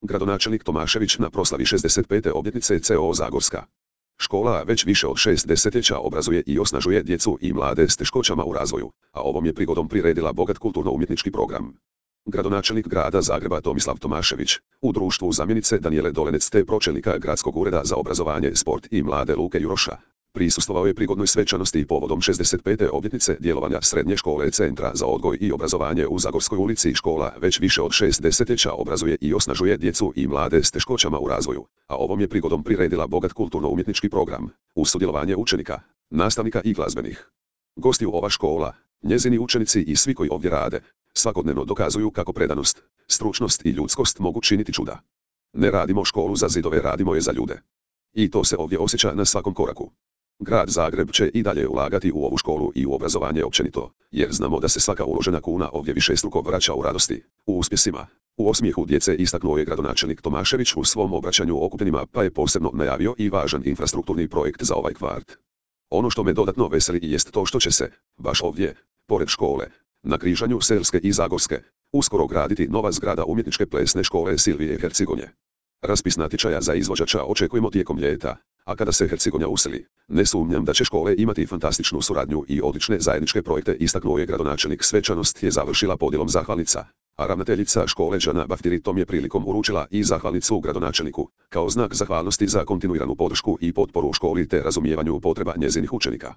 Gradonačelnik Tomašević na proslavi 65. obljetnice CO Zagorska. Škola već više od 6 desetljeća obrazuje i osnažuje djecu i mlade s teškoćama u razvoju, a ovom je prigodom priredila bogat kulturno-umjetnički program. Gradonačelnik grada Zagreba Tomislav Tomašević, u društvu zamjenice Danijele Dolenec te pročelnika Gradskog ureda za obrazovanje, sport i mlade Luke Juroša, prisustvovao je prigodnoj svečanosti povodom 65. obljetnice djelovanja Srednje škole Centra za odgoj i obrazovanje u Zagorskoj ulici. Škola već više od 6 desetljeća obrazuje i osnažuje djecu i mlade s teškoćama u razvoju, a ovom je prigodom priredila bogat kulturno-umjetnički program, uz sudjelovanje učenika, nastavnika i glazbenih gostiju. Ova škola, njezini učenici i svi koji ovdje rade, svakodnevno dokazuju kako predanost, stručnost i ljudskost mogu činiti čuda. Ne radimo školu za zidove, radimo je za ljude. I to se ovdje osjeća na svakom koraku. Grad Zagreb će i dalje ulagati u ovu školu i u obrazovanje općenito, jer znamo da se svaka uložena kuna ovdje višestruko vraća u radosti, u uspjesima, u osmijehu djece, istaknuo je gradonačelnik Tomašević u svom obraćanju okupljenima, pa je posebno najavio i važan infrastrukturni projekt za ovaj kvart. Ono što me dodatno veseli jest to što će se, baš ovdje, pored škole, na križanju Selske i Zagorske, uskoro graditi nova zgrada umjetničke plesne škole Silvije Hercigonje. Raspis natječaja za izvođača očekujemo tijekom ljeta, a kada se Hercigonja useli, ne sumnjam da će škole imati fantastičnu suradnju i odlične zajedničke projekte, istaknuo je gradonačelnik. Svečanost je završila podjelom zahvalnica, a ravnateljica škole Đana Baftiri tom je prilikom uručila i zahvalnicu gradonačelniku, kao znak zahvalnosti za kontinuiranu podršku i potporu školi te razumijevanju potreba njezinih učenika.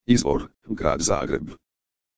Izvor: Grad Zagreb.